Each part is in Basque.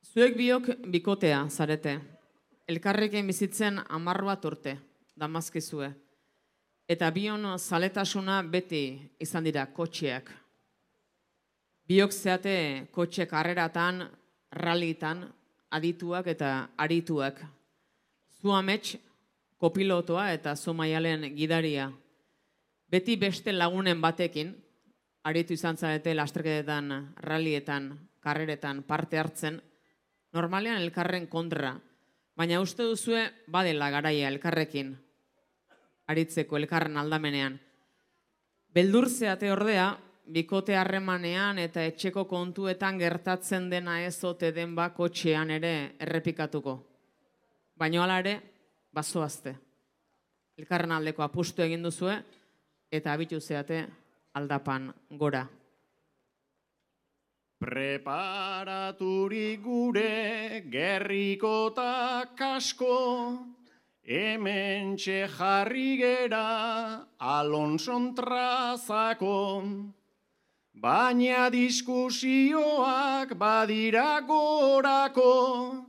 Zuek biok bikotea zarete. Elkarrekin bizitzen 10 bat urte, damazkizue. Eta bion zaletasuna beti izan dira kotxeak. Biok zeate kotxe karreratan, rallitan, adituak eta arituak. Zu amets, kopilotoa eta zu maialen gidaria. Beti beste lagunen batekin, aritu izan zarete lasterketetan, rallietan, karreretan parte hartzen, normalean elkarren kontra, baina uste duzue badela garaia elkarrekin, aritzeko elkarren aldamenean. Beldur zeate ordea, bikote harremanean eta etxeko kontuetan gertatzen dena ez ote den kotxean ere errepikatuko. Baina hala ere, bazoazte. Elkarren aldeko apustu egin duzue eta abitu zeate aldapan gora. Preparaturik gure gerriko ta kasko, hementxe jarri gera Alonson trazako. Baina diskusioak badira gorako,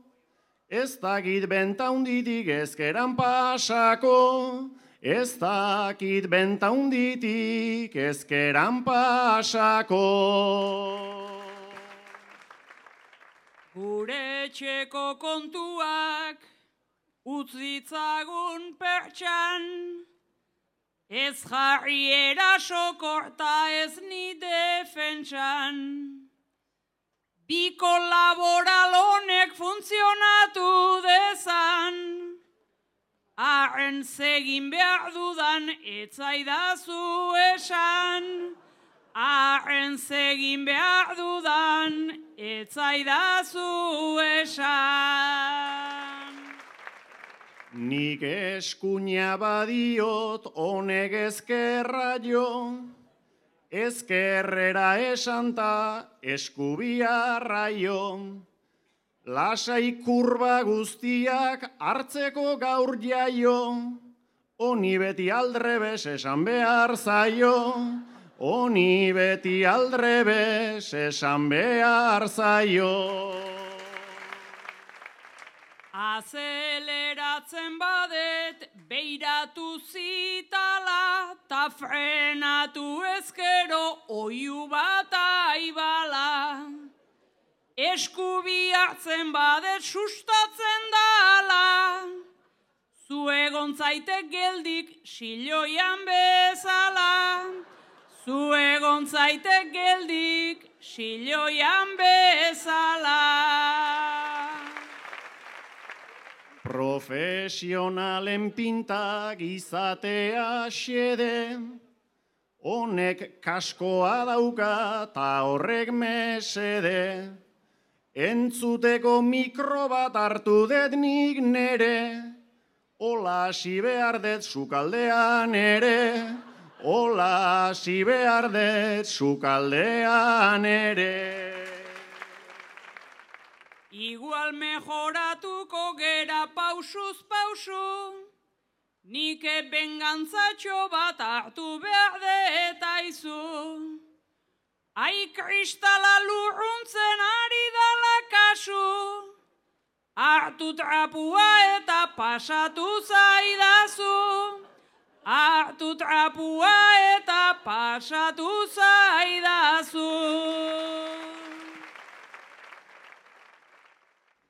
ez dakit benta hunditik ezkeran pasako, ez dakit benta hunditik ezkeran pasako. Gure etxeko kontuak utzitzagun pertsan, ez jarri erasoko eta ez ni defentsan. Bi kolaboral honek funtzionatu dezan, arren zegin behar dudan etzaidazu esan. Arren zegin behar dudan etzaidazu esan. Nik eskuina badiot honek ezkerra jo, ezkerrera esanta eskubiarra jo. Lasai kurba guztiak hartzeko gaur jaio, honi beti aldrebes esan behar zaio. Honi beti aldrebes esan behar zaio. Azeleratzen badet beiratu zitala, ta frenatu ezkero oiu bat aibala. Eskubi hartzen badet sustatzen dala, zu egon zaitek geldik siloian bezala. Zu egon zaitek geldik siloian bezala. Profesionalen pintak izatea xede, honek kaskoa dauka ta horrek mesede. Entzuteko mikro bat hartu det nik nere, hola hasi behar det sukaldean ere. Hola hasi behar det sukaldean ere. Igual mejoratuko gera pausuz pausu, nik bengantzatxo bat hartu behar detaizu. Ai kristala lurruntzen ari dala kasu, hartu trapua eta pasatu zaidazu. Hartu trapua eta pasatu zaidazu.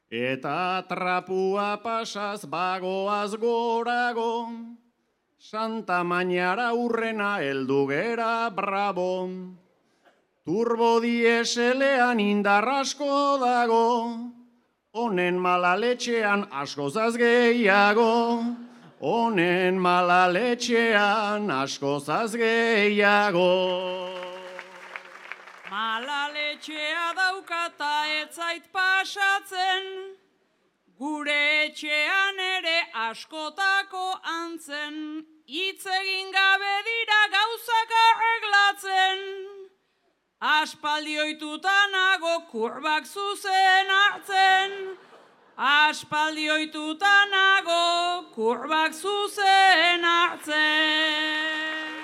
Eta trapua pasaz bagoaz gorago, Santa Mañara urrena heldu gera bravo. Turbo dieselean indarrasko dago, honen malaletxean askozaz gehiago. Honen malaletxean askozaz gehiago. Malaletxea daukata etzait pasatzen, gure etxean ere askotako antzen, hitz egin gabe dira gauzak arreglatzen. Aspaldi ohituta nago kurbak zuzen hartzen, aspaldi ohituta nago kurbak zuzen hartzen.